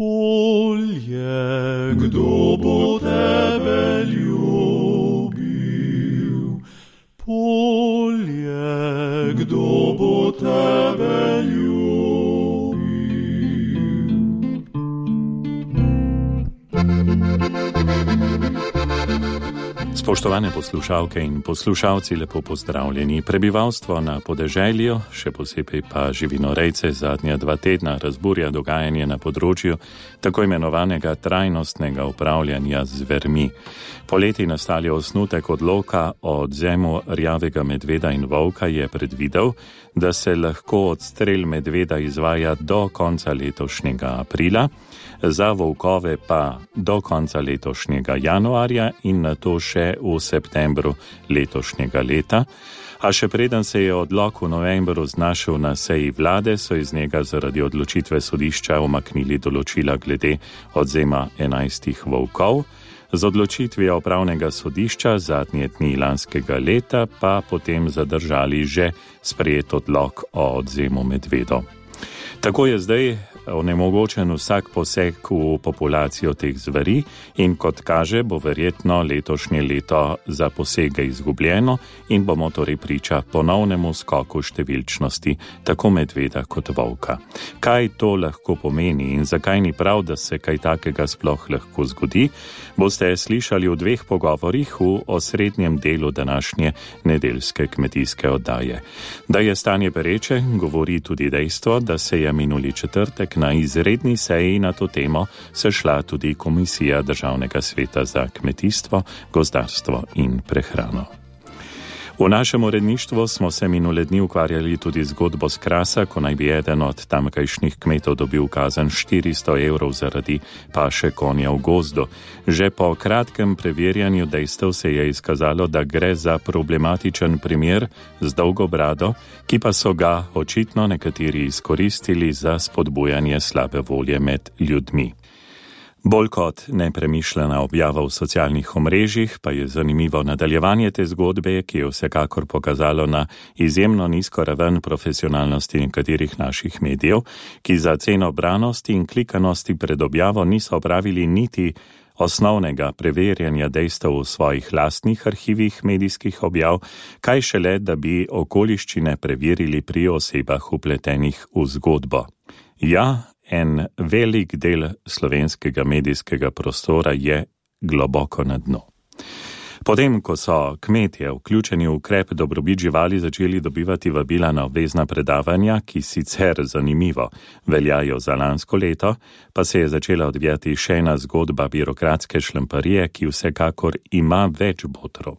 Polje, kdo bo tebe ljubil? Polje, kdo bo tebe ljubil? Spoštovane poslušalke in poslušalci, lepo pozdravljeni. Prebivalstvo na podeželju, še posebej pa živinorejce, zadnja 2 tedna razburja dogajanje na področju tako imenovanega trajnostnega upravljanja z zvermi. Poleti nastali osnutek odloka o odvzemu rjavega medveda in volka je predvidel, da se lahko odstrel medveda izvaja do konca letošnjega aprila, za volkove pa do konca letošnjega januarja in nato še v septembru letošnjega leta. A še preden se je odlok v novembru znašel na seji vlade, so iz njega zaradi odločitve sodišča umaknili določila glede odvzema 11 volkov. Z odločitvijo upravnega sodišča zadnje dni lanskega leta pa potem zadržali že sprejet odlok o odvzemu medvedov. Tako je zdaj onemogočen vsak poseg v populacijo teh zveri in kot kaže, bo verjetno letošnje leto za posege izgubljeno in bomo torej priča ponovnemu skoku številčnosti tako medveda kot volka. Kaj to lahko pomeni in zakaj ni prav, da se kaj takega sploh lahko zgodi, boste slišali v 2 pogovorih v osrednjem delu današnje nedeljske kmetijske oddaje. Da je stanje pereče, govori tudi dejstvo, da se je minuli četrtek na izredni seji na to temo sešla tudi Komisija Državnega sveta za kmetijstvo, gozdarstvo in prehrano. V našem uredništvu smo se minule dni ukvarjali tudi zgodbo s Krasa, ko naj bi eden od tamkajšnjih kmetov dobil kazen 400 evrov zaradi paše konja v gozdu. Že po kratkem preverjanju dejstev se je izkazalo, da gre za problematičen primer z dolgo brado, ki pa so ga očitno nekateri izkoristili za spodbujanje slabe volje med ljudmi. Bolj kot nepremišljena objava v socialnih omrežjih pa je zanimivo nadaljevanje te zgodbe, ki je vsekakor pokazalo na izjemno nizko raven profesionalnosti nekaterih naših medijev, ki za ceno branosti in klikanosti pred objavo niso opravili niti osnovnega preverjanja dejstev v svojih lastnih arhivih medijskih objav, kaj šele, da bi okoliščine preverili pri osebah vpletenih v zgodbo. Ja, en velik del slovenskega medijskega prostora je globoko na dnu. Potem, ko so kmetje vključeni v ukrep dobrobit živali začeli dobivati vabila na obvezna predavanja, ki sicer zanimivo veljajo za lansko leto, pa se je začela odvijati še ena zgodba birokratske šlamparije, ki vsekakor ima več botrov.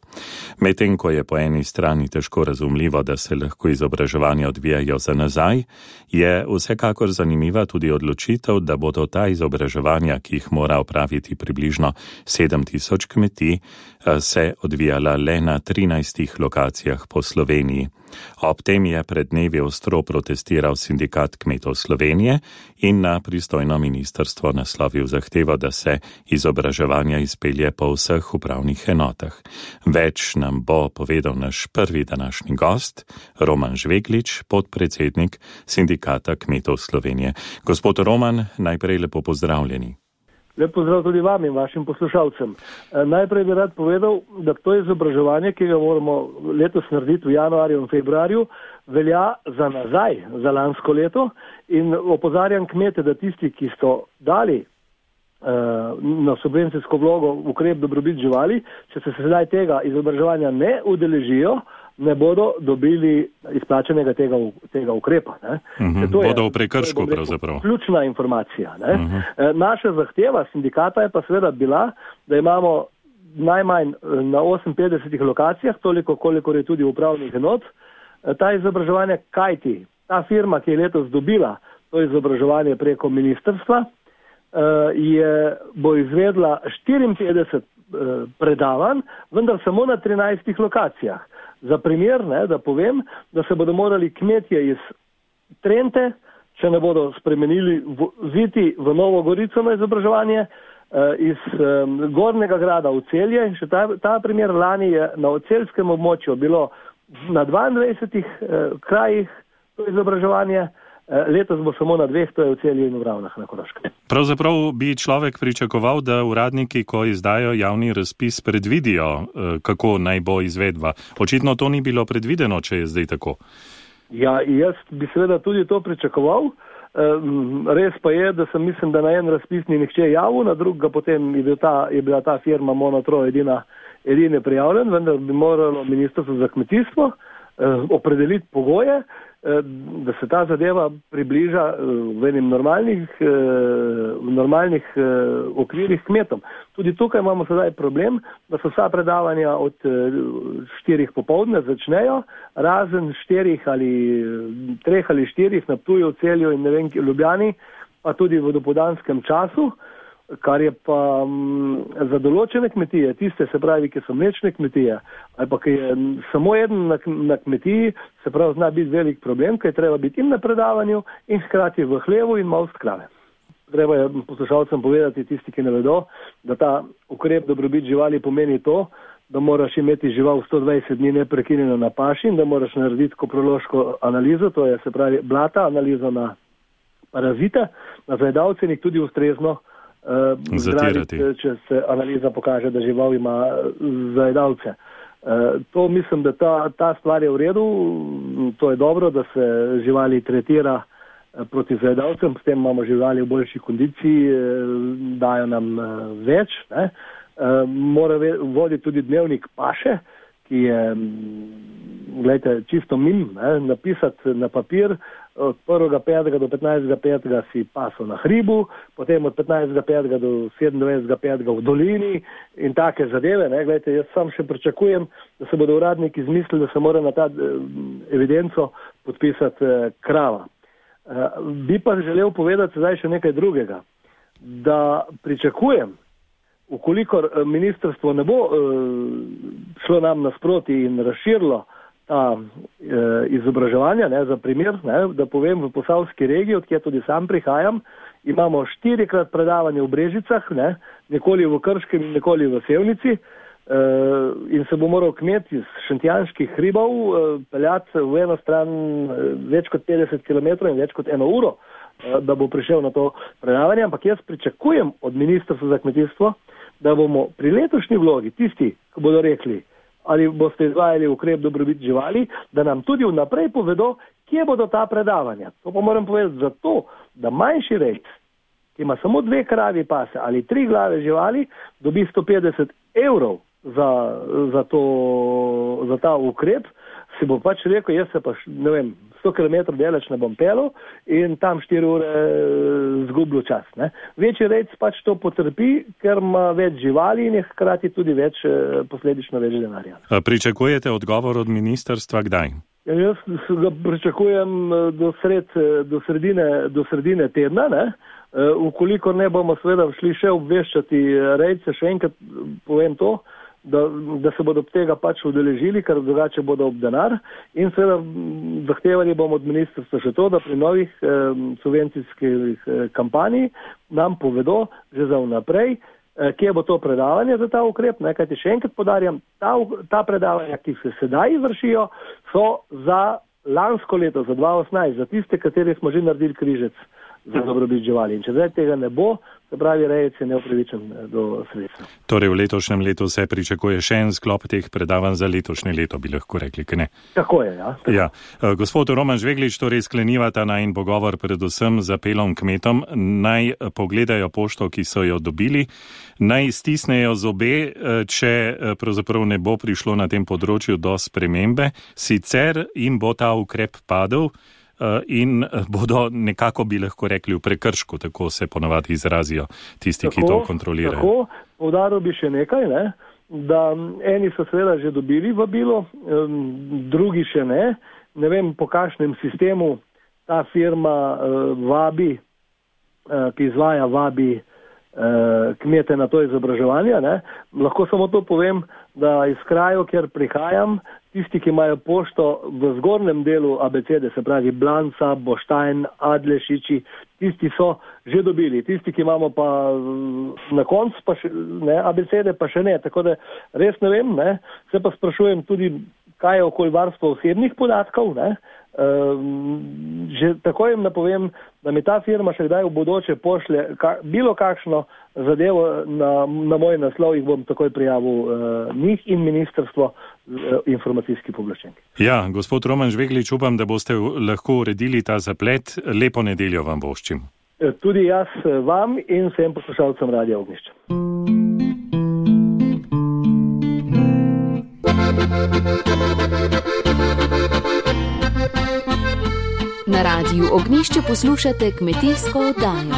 Medtem, ko je po eni strani težko razumljivo, da se lahko izobraževanja odvijajo za nazaj, je vsekakor zanimiva tudi odločitev, da bodo ta izobraževanja, ki jih mora opraviti približno 7000 kmetij, se odvijala le na 13 lokacijah po Sloveniji. Ob tem je pred dnevi ostro protestiral Sindikat kmetov Slovenije in na pristojno ministrstvo naslovil zahtevo, da se izobraževanja izpelje po vseh upravnih enotah. Več nam bo povedal naš prvi današnji gost, Roman Žveglič, podpredsednik Sindikata kmetov Slovenije. Gospod Roman, najprej lepo pozdravljeni. Lep pozdrav tudi vam in vašim poslušalcem. Najprej bi rad povedal, da to izobraževanje, ki ga moramo letos narediti v januarju in februarju, velja za nazaj, za lansko leto in opozarjam kmete, da tisti, ki so dali na subvencijsko vlogo ukrep dobrobit živali, če se sedaj tega izobraževanja ne udeležijo, ne bodo dobili izplačenega tega ukrepa. Bodo v prekršku pravzaprav. Ključna informacija. Naša zahteva sindikata je pa seveda bila, da imamo najmanj na 58 lokacijah, toliko kolikor je tudi upravnih enot, ta izobraževanja, kajti ta firma, ki je letos dobila to izobraževanje preko ministrstva, bo izvedla 54 predavanj, vendar samo na 13 lokacijah. Za primer, da povem, da se bodo morali kmetje iz Trente, če ne bodo spremenili, voziti v Novo Gorico na izobraževanje, iz Gornjega Grada v Celje. In še ta primer, lani je na celjskem območju bilo na 22 krajih to izobraževanje, Letos bo samo na 2, to je v Celju in v Ravnah na Koroškem. Pravzaprav bi človek pričakoval, da uradniki, ko izdajo javni razpis, predvidijo, kako naj bo izvedba. Očitno to ni bilo predvideno, če je zdaj tako. Ja, jaz bi seveda tudi to pričakoval. Res pa je, da sem mislim, da na en razpis ni nihče javil, na drugega potem je bila ta firma Monotro edine prijavljen, vendar bi moralo Ministrstvo za kmetijstvo opredeliti pogoje, da se ta zadeva približa v enim normalnih okvirih kmetom. Tudi tukaj imamo sedaj problem, da so vsa predavanja od 4 popoldne začnejo, razen 4 ali 3 ali 4 na Ptuju, Celju in ne vem, Ljubljani, pa tudi v dopoldanskem času, kar je pa za določene kmetije, tiste se pravi, ki so mlečne kmetije, ali pa ki je samo eden na kmetiji, se pravi, zna biti velik problem, ker je treba biti in na predavanju in hkrati v hlevu in malo krave. Treba je poslušalcem povedati, tisti, ki ne vedo, da ta ukrep dobrobit živali pomeni to, da moraš imeti žival 120 dni neprekinjeno na paši in da moraš narediti koprološko analizo, to je se pravi blata, analizo na parazite, na zajedavce in jih tudi ustrezno zatirati, če se analiza pokaže, da žival ima zajedavce. To mislim, da ta stvar je v redu, to je dobro, da se živali tretira proti zajedavcem, s tem imamo živali v boljši kondiciji, dajo nam več. Ne? Mora voditi tudi dnevnik paše, ki je, gledajte, čisto napisati na papir, od 1.5. do 15.5. si pasal na hribu, potem od 15.5. do 27.5. v dolini in take zadeve. Ne? Gledajte, jaz sam še pričakujem, da se bodo uradniki izmislili, da se mora na ta evidenco podpisati krava. Bi pa želel povedati zdaj še nekaj drugega, da pričakujem, ukolikor ministrstvo ne bo šlo nam nasproti in razširilo ta izobraževanja, ne, za primer, ne, da povem, v Posavski regiji, odkjer tudi sam prihajam, imamo 4-krat predavanje v Brežicah, ne, nekoli v Krškem in nekoli v Sevnici, in se bo moral kmet iz Šentjanskih hribov peljati v eno stran več kot 50 km in več kot 1 uro, da bo prišel na to predavanje, ampak jaz pričakujem od Ministrstva za kmetijstvo, da bomo pri letošnji vlogi tisti, ki bodo rekli, ali boste izvajali ukrep dobrobit živali, da nam tudi vnaprej povedo, kje bodo ta predavanja. To pa moram povedati zato, da manjši rejc, ki ima samo 2 kravi pase ali 3 glave živali, dobi 150 evrov za ta ukrep, si bo pač rekel, jaz se pa, ne vem, 100 km daleč ne bom pelil in tam 4 ure zgublil čas. Ne? Večji rejc pač to potrpi, ker ima več živali in je hkrati tudi posledično več denarja. Pričakujete odgovor od ministrstva kdaj? Jaz ga pričakujem do sredine tedna, ne? Ukolikor ne bomo seveda šli še obveščati rejce, še enkrat povem to, da se bodo tega pač udeležili, ker drugače bodo ob denar in seveda zahtevali bomo od ministrstva še to, da pri novih subvencijskih kampanji nam povedo že za vnaprej, kje bo to predavanje za ta ukrep, ne, kajti še enkrat podarjam, ta predavanja, ki se sedaj vršijo, so za lansko leto, za 2018, za tiste, kateri smo že naredili križec za dobrobit živali. In če zdaj tega ne bo, se pravi, rejec je neupravičen do sredstva. Torej v letošnjem letu se pričakuje še en sklop teh predavanj za letošnje leto, bi lahko rekli, kaj ne? Tako je, ja. Ja. Gospod Roman Žveglič, torej sklenivata najin pogovor predvsem z apelom kmetom, naj pogledajo pošto, ki so jo dobili, naj stisnejo zobe, če pravzaprav ne bo prišlo na tem področju do spremembe, sicer jim bo ta ukrep padel in bodo nekako, bi lahko rekli, v prekršku, tako se ponavadi izrazijo tisti, ki to kontrolirajo. Tako, poudaril bi še nekaj, ne, da eni so seveda že dobili vabilo, drugi še ne. Ne vem, po kakšnem sistemu ta firma vabi, ki izvaja vabi kmete na to izobraževanje. Ne. Lahko samo to povem, da iz krajev, kjer prihajam, tisti, ki imajo pošto v zgornjem delu abecede, se pravi Blanca, Boštajn, Adlešiči, tisti so že dobili. Tisti, ki imamo pa na koncu pa še, ne, abecede, pa še ne. Tako da res ne vem, ne. Se pa sprašujem tudi, kaj je okolj varstva osebnih podatkov, ne. Že tako jim napovem, da mi ta firma še kdaj v bodoče pošlje bilo kakšno zadevo na moj naslov, jih bom takoj prijavil njih in ministrstvo informacijski pooblaščenki. Ja, gospod Roman Žveglič, upam, da boste lahko uredili ta zaplet. Lepo nedeljo vam voščim. Tudi jaz vam in vsem poslušalcem Radia Ognjišče. Na Radiu Ognjišče poslušate kmetijsko oddajo.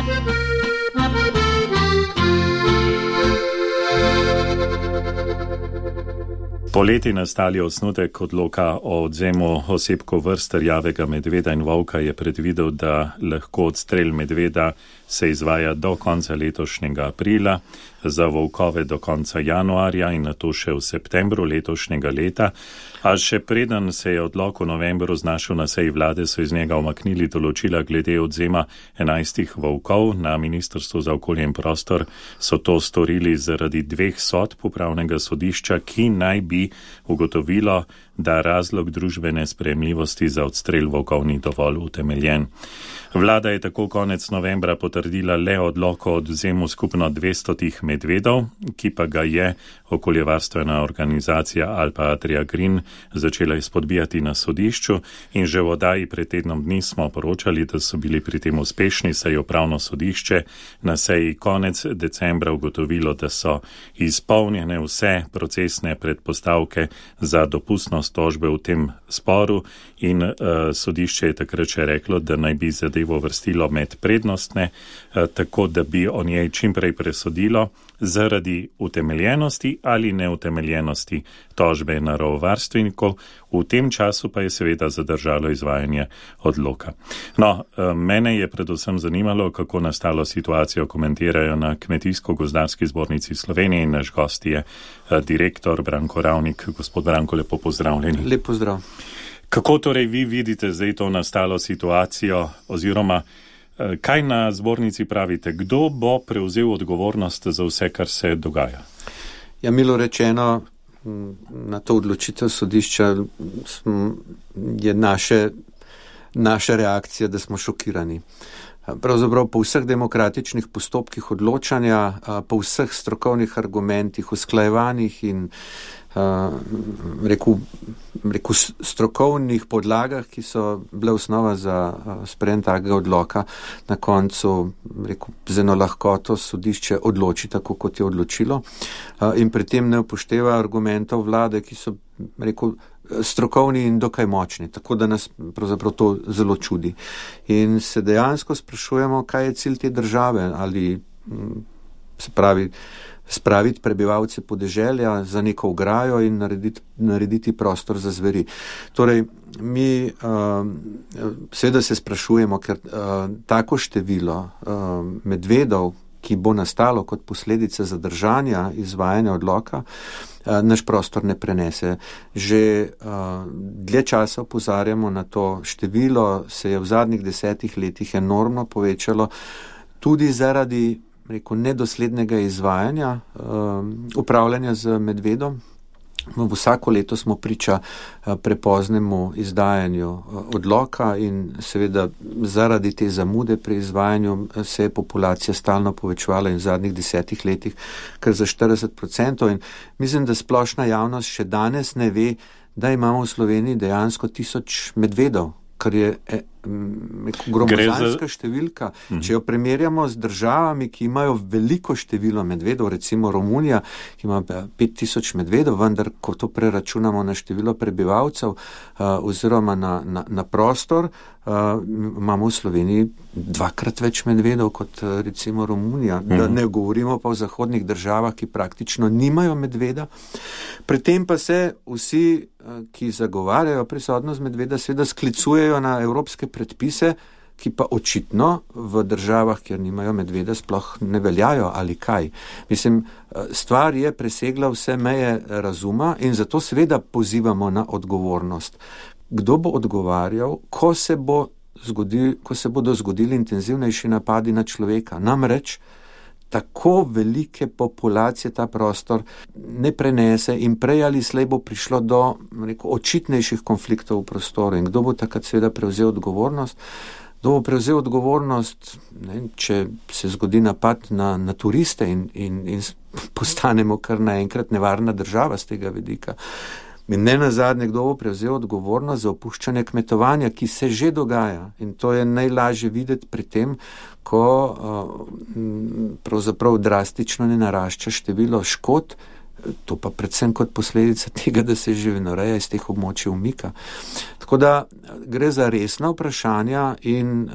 Poleti nastali osnutek odloka o odvzemu osebkov vrst rjavega medveda in volka je predvidel, da lahko odstrel medveda se izvaja do konca letošnjega aprila, za volkove do konca januarja in nato še v septembru letošnjega leta. A še preden se je odlok v novembru znašel na seji vlade, so iz njega omaknili določila glede odvzema 11 volkov. Na Ministrstvu za okolje in prostor so to storili zaradi 2 sodb upravnega sodišča, ki naj bi ugotovilo, da razlog družbene sprejemljivosti za odstrel volkov ni dovolj utemeljen. Vlada je tako konec novembra potrdila le odlok o odvzemu skupno 200 medvedov, ki pa ga je okoljevarstvena organizacija Alpa Adria Green začela izpodbijati na sodišču in že v oddaji pred tednom dni smo poročali, da so bili pri tem uspešni, saj je upravno sodišče na seji konec decembra ugotovilo, da so izpolnjene vse procesne predpostavke za dopustnost tožbe v tem sporu in sodišče je takrat še reklo, da naj bi zadevo vrstilo med prednostne, tako da bi o njej čimprej presodilo zaradi utemeljenosti ali neutemeljenosti tožbe naravovarstvenikov. V tem času pa je seveda zadržalo izvajanje odloka. No, mene je predvsem zanimalo, kako nastalo situacijo komentirajo na Kmetijsko-gozdarski zbornici Slovenije in naš gost je direktor Branko Ravnik. Gospod Branko, lepo pozdravljeni. Lep pozdrav. Kako torej vi vidite zdaj to nastalo situacijo oziroma kaj na zbornici pravite? Kdo bo prevzel odgovornost za vse, kar se dogaja? Ja, milo rečeno, na to odločitev sodišča je naša reakcija, da smo šokirani. Pravzaprav po vseh demokratičnih postopkih odločanja, po vseh strokovnih argumentih, usklajevanih in rekel strokovnih podlagah, ki so bile osnova za sprejem takega odloka, na koncu z eno lahkoto sodišče odloči tako, kot je odločilo in pri tem ne upošteva argumentov vlade, ki so strokovni in dokaj močni, tako da nas pravzaprav to zelo čudi. In se dejansko sprašujemo, kaj je cilj te države, ali se pravi spraviti prebivalce podeželja za neko ograjo in narediti prostor za zveri. Torej, mi seveda se sprašujemo, ker tako število medvedov, ki bo nastalo kot posledica zadržanja izvajanja odloka, naš prostor ne prenese. Že dlje časa opozarjamo na to, število se je v zadnjih 10 letih enormno povečalo, tudi zaradi nedoslednega izvajanja upravljanja z medvedom. Vsako leto smo priča prepoznemu izdajanju odloka in seveda zaradi te zamude pri izvajanju se je populacija stalno povečevala in v zadnjih 10 letih kar za 40%. In mislim, da splošna javnost še danes ne ve, da imamo v Sloveniji dejansko 1000 medvedov, kar je gromozanska številka. Če jo primerjamo z državami, ki imajo veliko število medvedov, recimo Romunija, ki ima 5000 medvedov, vendar ko to preračunamo na število prebivalcev oziroma na prostor, imamo v Sloveniji 2-krat več medvedov kot recimo Romunija. Da ne govorimo pa o zahodnih državah, ki praktično nimajo medveda. Pri tem pa se vsi, ki zagovarjajo prisotnost medveda, seveda sklicujejo na evropske predpise, ki pa očitno v državah, kjer nimajo medveda, sploh ne veljajo ali kaj. Mislim, stvar je presegla vse meje razuma in zato seveda pozivamo na odgovornost. Kdo bo odgovarjal, ko se bodo zgodili intenzivnejši napadi na človeka? Namreč tako velike populacije ta prostor ne prenese in prej ali slej bo prišlo do očitnejših konfliktov v prostoru. In kdo bo takrat seveda prevzel odgovornost? Kdo bo prevzel odgovornost, če se zgodi napad na turiste in postanemo kar naenkrat nevarna država z tega vidika. In ne nazadnje, kdo bo prevzel odgovornost za opuščanje kmetovanja, ki se že dogaja. In to je najlažje videti pri tem, ko pravzaprav drastično ne narašča število škod, to pa predvsem kot posledica tega, da se živinoreja iz teh območij umika. Tako da gre za resna vprašanja in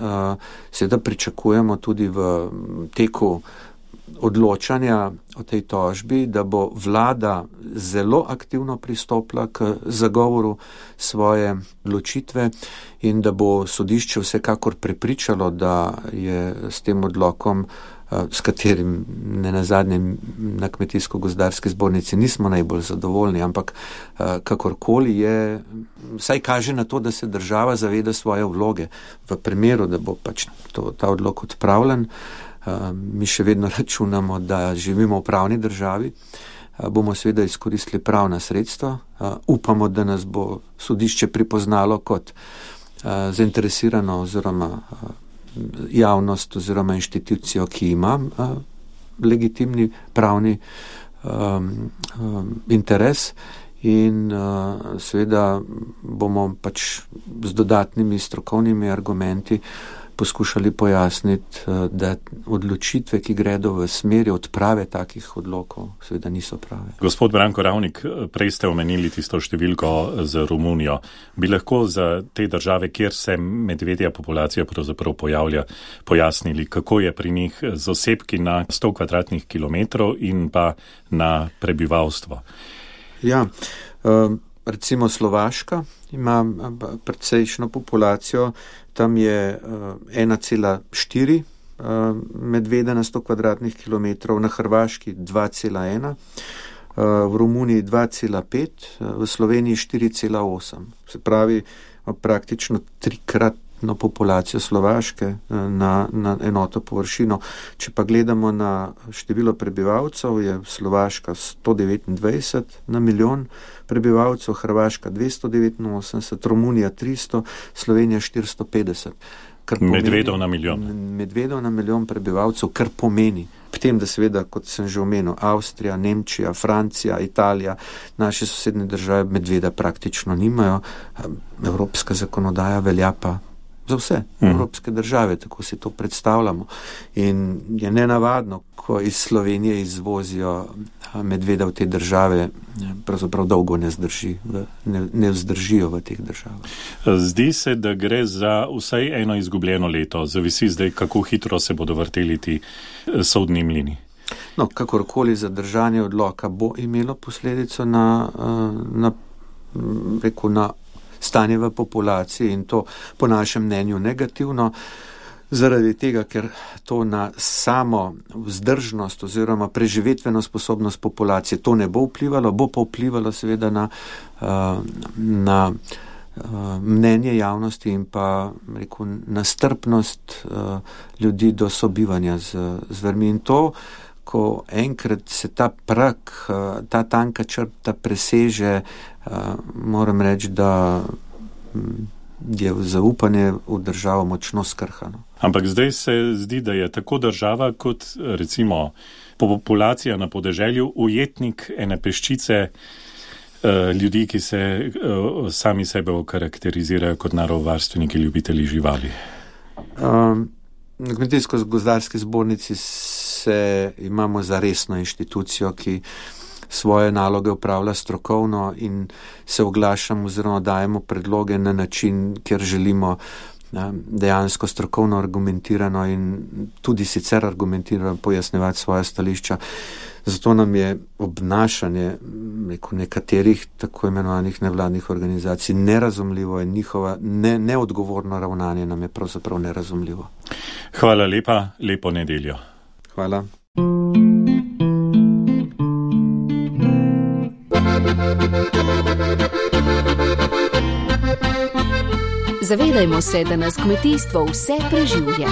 seveda pričakujemo tudi v teku odločanja o tej tožbi, da bo vlada zelo aktivno pristopila k zagovoru svoje odločitve in da bo sodišče vsekakor prepričalo, da je s tem odlokom, s katerim ne nazadnje na Kmetijsko-gozdarski zbornici nismo najbolj zadovoljni, ampak kakorkoli je, vsaj kaže na to, da se država zaveda svoje vloge. V primeru, da bo pač ta odlok odpravljen, mi še vedno računamo, da živimo v pravni državi, bomo seveda izkoristili pravna sredstva, upamo, da nas bo sodišče pripoznalo kot zainteresirano oziroma javnost oziroma inštitucijo, ki ima legitimni pravni interes in seveda bomo pač z dodatnimi strokovnimi argumenti poskušali pojasniti, da odločitve, ki gredo v smeri odprave takih odlokov, seveda niso prave. Gospod Branko Ravnik, prej ste omenili tisto številko z Romunijo. Bi lahko za te države, kjer se medvedja populacija pravzaprav pojavlja, pojasnili, kako je pri njih z osebki na 100 kvadratnih kilometrov in pa na prebivalstvo? Ja, recimo Slovaška ima precejšno populacijo, tam je 1,4 medveda na 100 kvadratnih kilometrov, na Hrvaški 2,1, v Romuniji 2,5, v Sloveniji 4,8. Se pravi, praktično trikratno populacijo Slovaške na enoto površino. Če pa gledamo na število prebivalcev, je Slovaška 129 na milijon prebivalcev, Hrvaška 289, Romunija 300, Slovenija 450. Medvedov na milijon. Medvedov na milijon prebivalcev, kar pomeni. Potem, da seveda, kot sem že omenil, Avstrija, Nemčija, Francija, Italija, naše sosednje države medveda praktično nimajo. Evropska zakonodaja velja pa za vse evropske države, tako si to predstavljamo. In je nenavadno, ko iz Slovenije izvozijo medveda v te države, pravzaprav dolgo ne vzdržijo v teh državah. Zdi se, da gre za vsaj eno izgubljeno leto. Zavisi zdaj, kako hitro se bodo vrteli ti sodni mlini. No, kakorkoli zadržanje odloka bo imelo posledico na stanje v populaciji in to po našem mnenju negativno, zaradi tega, ker to na samo vzdržnost oziroma preživetveno sposobnost populacije to ne bo vplivalo, bo pa vplivalo seveda na mnenje javnosti in pa na strpnost ljudi do sobivanja z zvermi. In to, ko enkrat se ta prag, ta tanka črta preseže, moram reči, da je zaupanje v državo močno skrhano. Ampak zdaj se zdi, da je tako država kot recimo populacija na podeželju ujetnik ene peščice ljudi, ki se sami sebe okarakterizirajo kot naravovarstveniki, ljubitelji živali. Na Kmetijsko-gozdarski zbornici imamo za resno inštitucijo, ki svoje naloge upravlja strokovno in se oglašamo oziroma dajemo predloge na način, kjer želimo dejansko strokovno argumentirano in tudi sicer argumentirano pojasnevati svoje stališča. Zato nam je obnašanje nekaterih tako imenovanih nevladnih organizacij nerazumljivo in njihova neodgovorno ravnanje nam je pravzaprav nerazumljivo. Hvala lepa, lepo nedeljo. Hvala. Zavedajmo se, da nas kmetijstvo vse preživlja.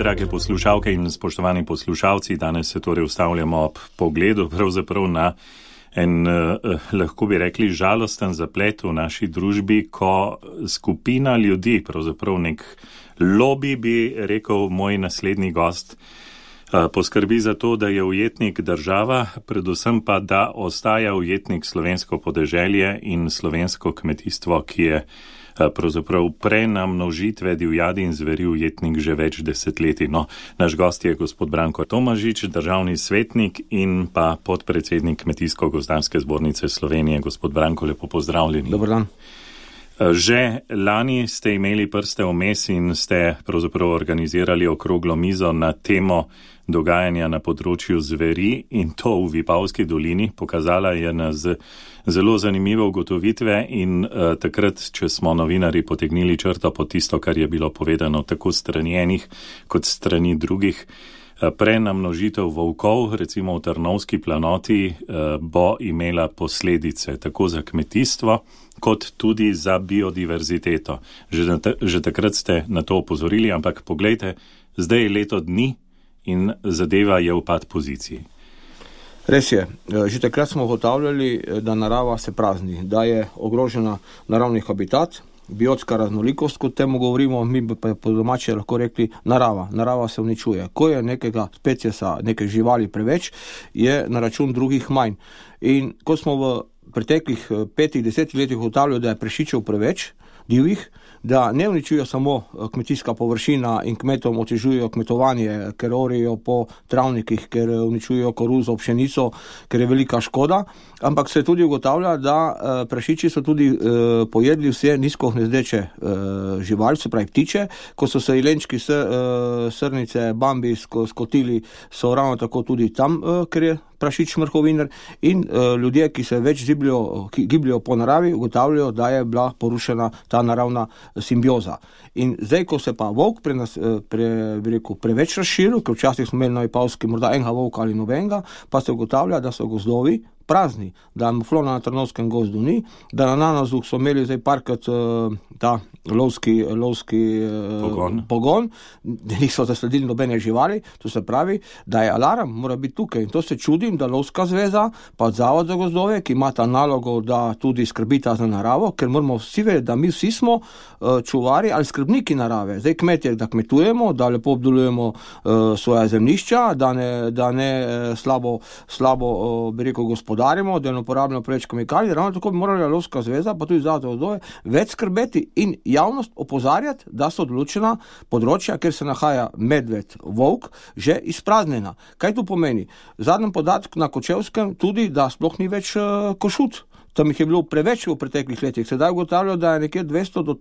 drage poslušalke in spoštovani poslušalci, danes se torej ustavljamo ob pogledu pravzaprav na en, lahko bi rekli, žalosten zaplet v naši družbi, ko skupina ljudi, pravzaprav nek lobby, bi rekel moj naslednji gost, poskrbi za to, da je ujetnik država, predvsem pa, da ostaja ujetnik slovensko podeželje in slovensko kmetijstvo, ki je pravzaprav prenamnožitve divjadi in zveri ujetnik že več desetletij. No, naš gost je gospod Branko Tomažič, državni svetnik in pa podpredsednik Kmetijsko-gozdarske zbornice Slovenije. Gospod Branko, lepo pozdravljeni. Dobar dan. Že lani ste imeli prste vmes in ste pravzaprav organizirali okroglo mizo na temo dogajanja na področju zveri in to v Vipavski dolini. Pokazala je nas zelo zanimive ugotovitve in takrat, če smo novinari potegnili črto po tisto, kar je bilo povedano tako strani enih kot strani drugih, prenamnožitev volkov, recimo v Trnovski planoti, bo imela posledice tako za kmetijstvo, kot tudi za biodiverziteto. Že takrat ste na to opozorili, ampak poglejte, zdaj je leto dni in zadeva je v pad poziciji. Res je. Že takrat smo ugotavljali, da narava se prazni, da je ogrožena naravni habitat, biotska raznolikost, kot temu govorimo, mi pa po domače lahko rekli narava. Narava se uničuje. Ko je nekega specijesa, neke živali preveč, je na račun drugih manj. In ko smo v preteklih 5-10 letih ugotavljali, da je prašičev preveč, divjih, da ne uničujejo samo kmetijska površina in kmetom otežujejo kmetovanje, ker orijo po travnikih, ker uničujejo koruzo, pšenico, ker je velika škoda, ampak se tudi ugotavlja, da prašiči so tudi pojedli vse nizkohnezdeče živali, se pravi ptiče, ko so se jelenčki, srnice, bambi skotili, so ravno tako tudi tam, ker je prašič mrhoviner in ljudje, ki se več gibljajo po naravi, ugotavljajo, da je bila porušena ta naravna simbioza. In zdaj, ko se pa volk preveč razširil, ker včasih smo imeli na Vipavski morda enega volka ali nobenega, pa se ugotavlja, da so gozdovi prazni, da muflona na Trnovskem gozdu ni, da na Nanozu so imeli zdaj parkrat ta lovski pogon, da niso zasledili nobene živali, to se pravi, da je alarm, mora biti tukaj. In to se čudim, da Lovska zveza, pa Zavod za gozdove, ki imata nalogo, da tudi skrbita za naravo, ker moramo vsi vedeti, da mi vsi smo čuvari ali skrbniki narave. Zdaj kmetje, da kmetujemo, da lepo obdelujemo svoja zemljišča, da ne slabo bi rekel gospodarimo, da ne uporabljamo preveč kemikalij, ravno tako bi morala Lovska zveza, pa tudi Zavod za gozdove, več skrbeti in javnost opozarjati, da so določena področja, kjer se nahaja medved, volk, že izpraznjena. Kaj to pomeni? V zadnjem podatku na Kočevskem tudi, da sploh ni več košut. Tam jih je bilo preveč v preteklih letih. Sedaj ugotavljajo, da je nekje 200 do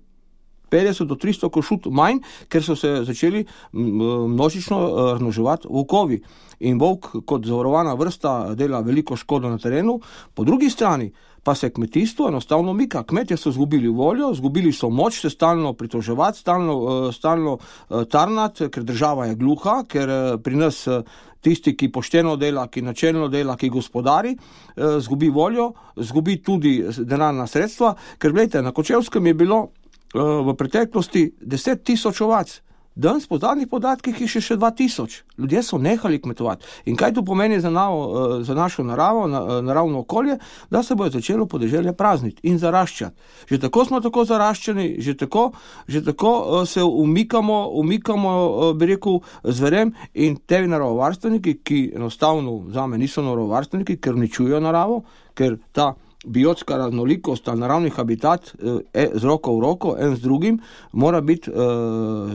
50 do 300 košut manj, ker so se začeli množično razmnoževati volkovi. In volk kot zavarovana vrsta dela veliko škodo na terenu. Po drugi strani pa se kmetijstvo enostavno mika. Kmetje so zgubili voljo, zgubili so moč se stalno pritoževati, stalno tarnati, ker država je gluha, ker pri nas tisti, ki pošteno dela, ki načelno dela, ki gospodari, zgubi voljo, zgubi tudi denarna sredstva, ker gledajte, na Kočevskem je bilo v preteklosti 10 000 ovac. Danes po zadnjih podatkih je še 2000. Ljudje so nehali kmetovati. In kaj to pomeni za našo naravo, naravno okolje? Da se bo začelo podeželje prazniti in zaraščati. Že tako smo tako zaraščeni, že tako se umikamo, bi rekel, zverem in te naravovarstveniki, ki enostavno zame niso naravovarstveniki, ker uničujejo naravo, ker ta biotska raznolikost, ta naravni habitat z roko v roko, en z drugim, mora biti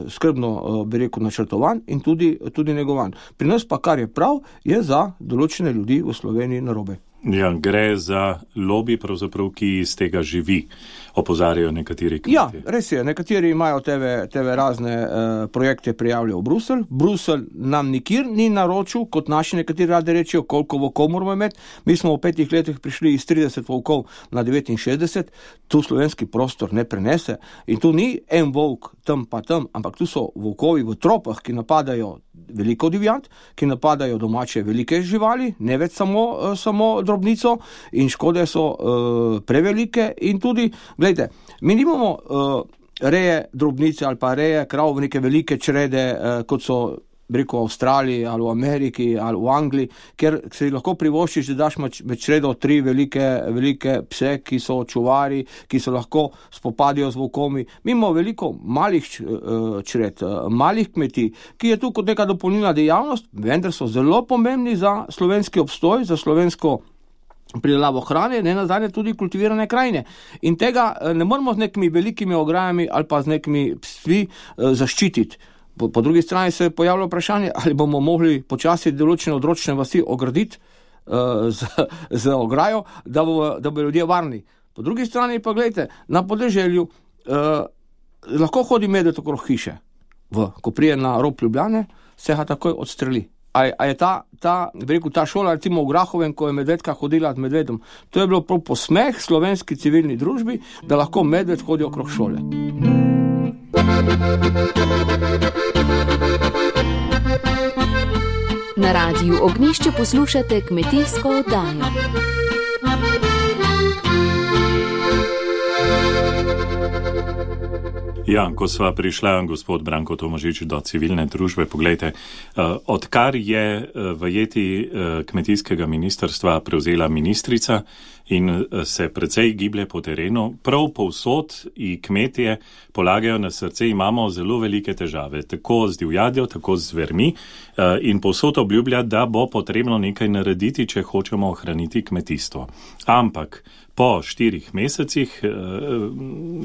skrbno, bi rekel, načrtovan in tudi negovan. Pri nas pa, kar je prav, je za določene ljudi v Sloveniji narobe. Ja, gre za lobby, pravzaprav, ki iz tega živi, opozarjajo nekateri kmetje. Ja, res je, nekateri imajo teve razne projekte prijavljajo v Bruselj. Bruselj nam nikjer ni naročil, kot naši nekateri radi rečejo, koliko volkov moramo imeti. Mi smo v 5 letih prišli iz 30 volkov na 69, tu slovenski prostor ne prenese. In tu ni en volk tam pa tam, ampak tu so volkovi v tropah, ki napadajo veliko divjad, ki napadajo domače velike živali, ne več samo drobnico, in škode so prevelike in tudi, gledajte, mi nimamo reje drobnice ali pa reje krav v neke velike črede, kot so v Avstraliji ali v Ameriki ali v Angliji, kjer se lahko privoščiš, da daš med čredo 3 velike pse, ki so čuvari, ki se lahko spopadijo z volkovi. Mi imamo veliko malih čred, malih kmetij, ki je tu kot neka dopolnilna dejavnost, vendar so zelo pomembni za slovenski obstoj, za slovensko pridelavo hrane, ne nazadnje tudi kultivirane krajine. In tega ne moramo z nekimi velikimi ograjami ali pa z nekimi psi zaščititi. Po drugi strani se pojavlja vprašanje, ali bomo mogli počasi določene odročne vasi ograditi z ograjo, da bo ljudje varni. Po drugi strani pa gledajte, na podeželju lahko hodi medved okrog hiše. Ko prije na rob Ljubljane, se ga takoj odstreli. A je ta šola, recimo v Grahovem, ko je medvedka hodila z medvedom, to je bilo prav posmeh slovenski civilni družbi, da lahko medved hodi okrog šole. Na Radiu Ognjišče poslušate kmetijsko oddajo. Ja, ko sva prišla, gospod Branko Tomažič, do civilne družbe, poglejte, odkar je vajeti kmetijskega ministrstva prevzela ministrica in se precej giblje po terenu, prav povsod in kmetije polagajo na srce, imamo zelo velike težave, tako z divjadjo, tako z zvermi in povsod obljublja, da bo potrebno nekaj narediti, če hočemo ohraniti kmetijstvo. Ampak po 4 mesecih,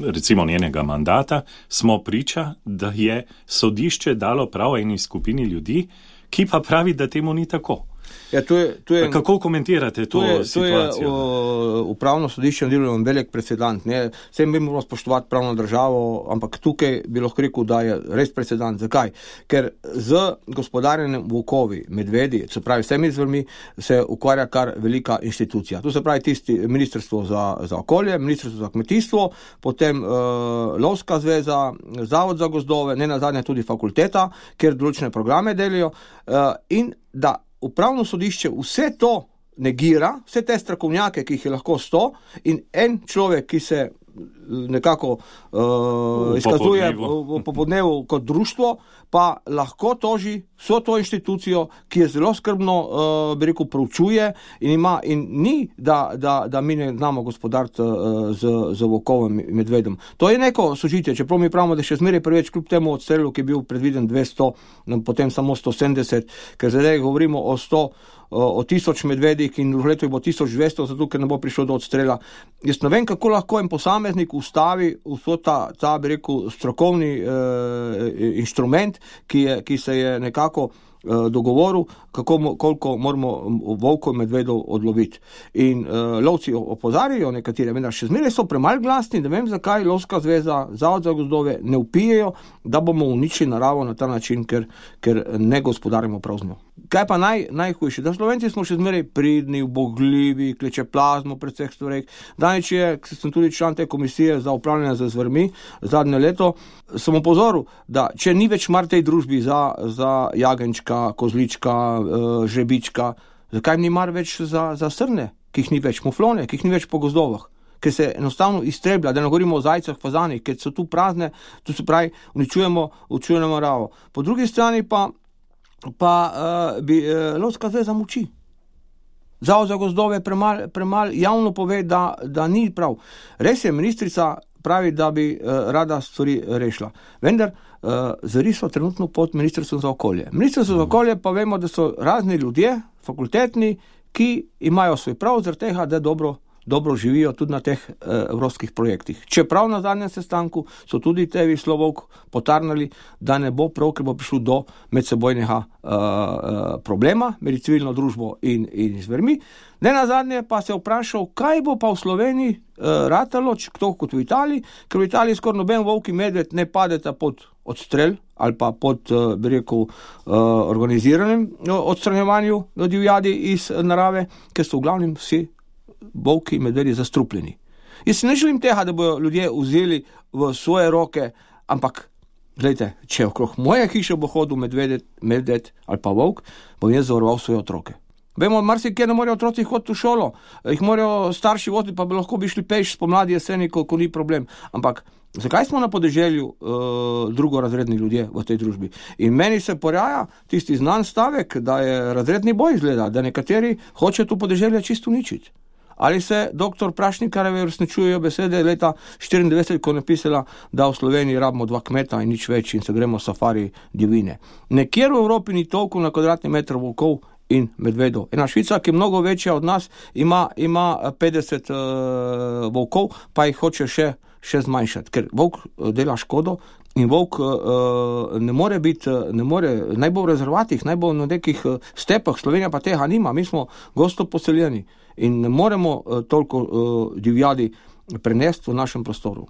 recimo njenega mandata, smo priča, da je sodišče dalo prav eni skupini ljudi, ki pa pravi, da temu ni tako. Ja, to je, kako komentirate to situacijo? To je upravno sodišče naredilo velik precedent. Vse mi moramo spoštovati pravno državo, ampak tukaj bi lahko rekel, da je res precedent. Zakaj? Ker z gospodarjenjem volkovi, medvedi, se pravi vsemi zvermi, se ukvarja kar velika inštitucija. To se pravi tisti Ministrstvo za okolje, Ministrstvo za kmetijstvo, potem Lovska zveza, Zavod za gozdove, ne nazadnje tudi fakulteta, kjer določene programe delijo, in da upravno sodišče vse to negira, vse te strokovnjake, ki jih je lahko 100, in en človek, ki se nekako izkazuje po podnevu kot društvo, pa lahko toži vso to inštitucijo, ki je zelo skrbno, proučuje in ni, da mi ne znamo gospodariti z volkovim medvedom. To je neko sožitje, čeprav mi pravimo, da še zmeraj preveč, kljub temu odstrelu, ki je bil predviden 200, potem samo 170, ker zdaj govorimo o 1000 medvedih in v letu bo 1200, zato ker ne bo prišlo do odstrela. Jaz ne vem, kako lahko en posameznik ustavi vso ta strokovni inštrument, ki se je nekako dogovoril, koliko moramo volkov medvedov odloviti. In lovci opozarjajo nekatere, vendar še zmeraj so premalo glasni, ne vem, zakaj Lovska zveza, Zavod za gozdove ne vpijejo, da bomo uničili naravo na ta način, ker ne gospodarimo prav z njo. Kaj pa najhujše? Da Slovenci smo še zmeraj pridni, ubogljivi, klečeplazmo pred vseh stvareh. Danes sem tudi član te komisije za upravljanje z zvermi zadnje leto, sem opozoril, da če ni več mar tej družbi za jagenčka, kozlička, žrebička, zakaj ni mar več za srne, ki jih ni več, muflone, ki jih ni več po gozdovah, ker se enostavno iztreblja, da ne govorimo o zajcah, fazanih, ker so tu prazne, tu se pravi, uničujemo naravo. Po drugi strani pa bi Lovska zveza muči. Zavod za gozdove premal javno pove, da ni prav. Res je, ministrica pravi, da bi rada stvari rešila. Vendar zveri so trenutno pod Ministrstvom za okolje. Ministrstvo za okolje pa vemo, da so razni ljudje, fakultetni, ki imajo svoj prav zaradi tega, da dobro živijo tudi na teh evropskih projektih. Čeprav na zadnjem sestanku so tudi tevi Slovok potarnali, da ne bo prav, ker bo prišlo do medsebojnega problema med civilno družbo in zvermi. Ne na zadnje pa se vprašal, kaj bo pa v Sloveniji ratalo, tako kot v Italiji, ker v Italiji skoraj noben volk in medved ne padeta pod odstrel ali pa pod, organiziranem odstranjevanju divjadi iz narave, ker so v glavnem vsi volki in medvedi zastrupljeni. Jaz ne želim tega, da bodo ljudje vzeli v svoje roke, ampak gledajte, če okrog moje hiše bo hodil medved ali pa volk, bom jaz zavaroval svoje otroke. Vemo, marsikje ne morejo otroci hoditi v šolo, jih morajo starši voditi, pa bi lahko bi šli peš spomladi jeseni, ko ni problem. Ampak zakaj smo na podeželju drugorazredni ljudje v tej družbi? In meni se poraja tisti znan stavek, da je razredni boj izgleda, da nekateri hoče to podeželje čisto uničiti. Ali se dr. Prašnikarjeve uresničujejo besede leta 1994, ko je napisala, da v Sloveniji rabimo 2 kmeta in nič več in se gremo safari divine. Nekjer v Evropi ni toliko na kvadratni meter volkov in medvedov. Ena Švica, ki je mnogo večja od nas, ima 50 volkov, pa jih hoče še zmanjšati, ker volk dela škodo in volk ne more biti, naj bo v rezervatih, naj bo na nekih stepah, Slovenija pa tega nima, mi smo gosto poseljeni in ne moremo toliko divjadi prenesti v našem prostoru.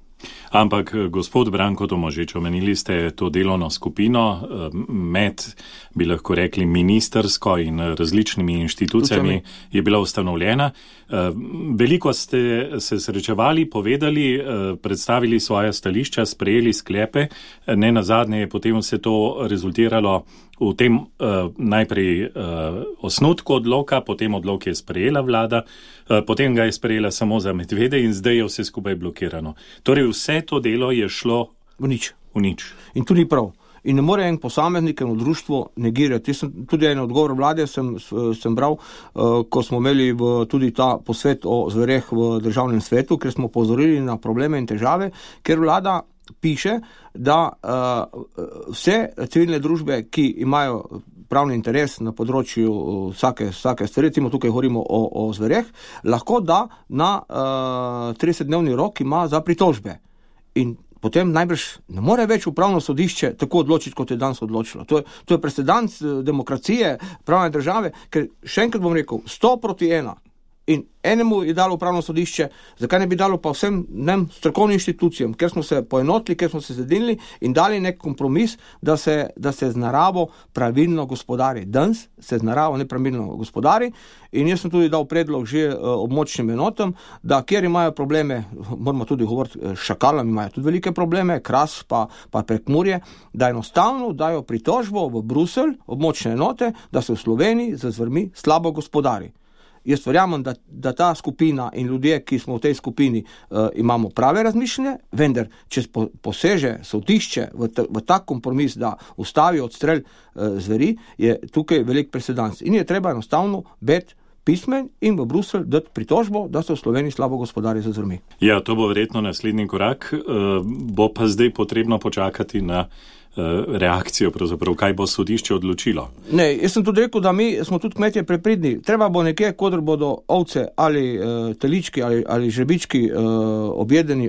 Ampak, gospod Branko Tomažič, omenili ste to delovno skupino med, bi lahko rekli, ministersko in različnimi inštitucijami je bila ustanovljena. Veliko ste se srečevali, povedali, predstavili svoja stališča, sprejeli sklepe. Ne nazadnje je potem vse to rezultiralo v tem najprej osnutku odloka, potem odlok je sprejela vlada, potem ga je sprejela samo za medvede in zdaj je vse skupaj blokirano. Torej vse to delo je šlo v nič. In tudi prav. In ne more en posameznik, eno društvo negirati. Tudi en odgovor vlade sem bral, ko smo imeli tudi ta posvet o zvereh v državnem svetu, ker smo pozorili na probleme in težave, ker vlada piše, da vse civilne družbe, ki imajo pravni interes na področju vsake stvari, recimo tukaj govorimo o zvereh, lahko da na 30-dnevni rok ima za pritožbe. In potem najbrž ne more več upravno sodišče tako odločiti, kot je danes odločilo. To je presedans demokracije, pravne države, ker še enkrat bom rekel, 100-1. In enemu je dalo upravno sodišče, zakaj ne bi dalo pa vsem strokovnim inštitucijam, ker smo se poenotili, ker smo se zedinili in dali nek kompromis, da se z naravo pravilno gospodari. Danes se z naravo nepravilno gospodari in jaz sem tudi dal predlog že območnim enotam, da kjer imajo probleme, moramo tudi govoriti, šakalam imajo tudi velike probleme, Kras pa Prekmurje, da enostavno dajo pritožbo v Bruselj, območne enote, da se v Sloveniji z zvermi slabo gospodari. Jaz verjamem, da ta skupina in ljudje, ki smo v tej skupini, imamo prave razmišljanje, vendar, če poseže sodišče v tak kompromis, da ustavi odstrel zveri, je tukaj velik presedans. In je treba enostavno biti pismen in v Bruselj dati pritožbo, da se v Sloveniji slabo gospodari z zvermi. Ja, to bo verjetno naslednji korak. Bo pa zdaj potrebno počakati na reakcijo, pravzaprav, kaj bo sodišče odločilo. Ne, jaz sem tudi rekel, da mi smo tudi kmetje prepridni. Treba bo nekje, kodr bodo ovce ali telički ali žrebički objedeni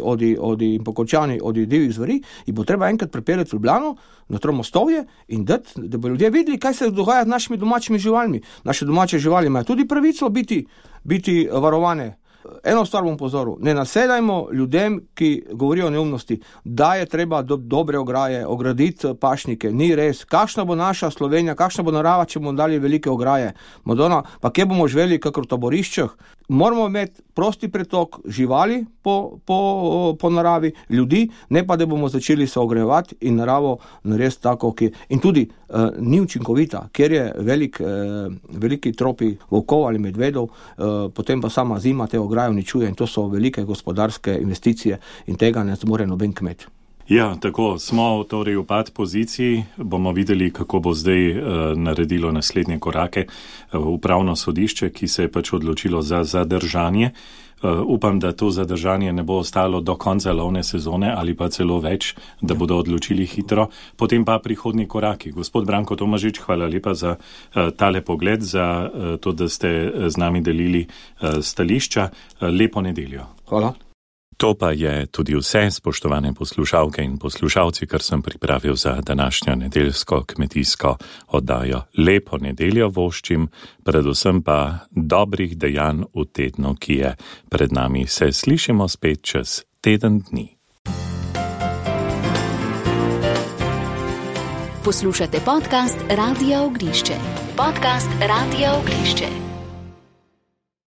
in pokončani od divjih zveri, in bo treba enkrat pripeljati v Ljubljano na Tromostovje in dati, da bo ljudje videli, kaj se dogaja z našimi domačimi živalmi. Naše domače živali imajo tudi pravico biti varovane. Eno stvar bom pozoril, ne nasedajmo ljudem, ki govorijo o neumnosti, da je treba dobre ograje, ograditi pašnike, ni res. Kakšna bo naša Slovenija, kakšna bo narava, če bomo dali velike ograje? Madonna, pa kje bomo živeli, kakor v taboriščah? Moramo imeti prosti pretok živali po naravi, ljudi, ne pa da bomo začeli se ogrevati in naravo narediti tako, in tudi ni učinkovita, ker je veliki tropi volkov ali medvedov, potem pa sama zima te ograje uničuje in to so velike gospodarske investicije in tega ne zmore noben kmet. Ja, tako, smo torej v pad poziciji, bomo videli, kako bo zdaj naredilo naslednje korake upravno sodišče, ki se je pač odločilo za zadržanje. Upam, da to zadržanje ne bo ostalo do konca lovne sezone ali pa celo več, da bodo odločili hitro. Potem pa prihodnji koraki. Gospod Branko Tomažič, hvala lepa za tale pogled, za to, da ste z nami delili stališča. Lepo nedeljo. Hvala. To pa je tudi vse, spoštovane poslušalke in poslušalci, kar sem pripravil za današnjo nedeljsko kmetijsko oddajo. Lepo nedeljo voščim, predvsem pa dobrih dejanj v tednu, ki je pred nami. Se slišimo spet čez teden dni. Poslušate podcast Radia Ognišče.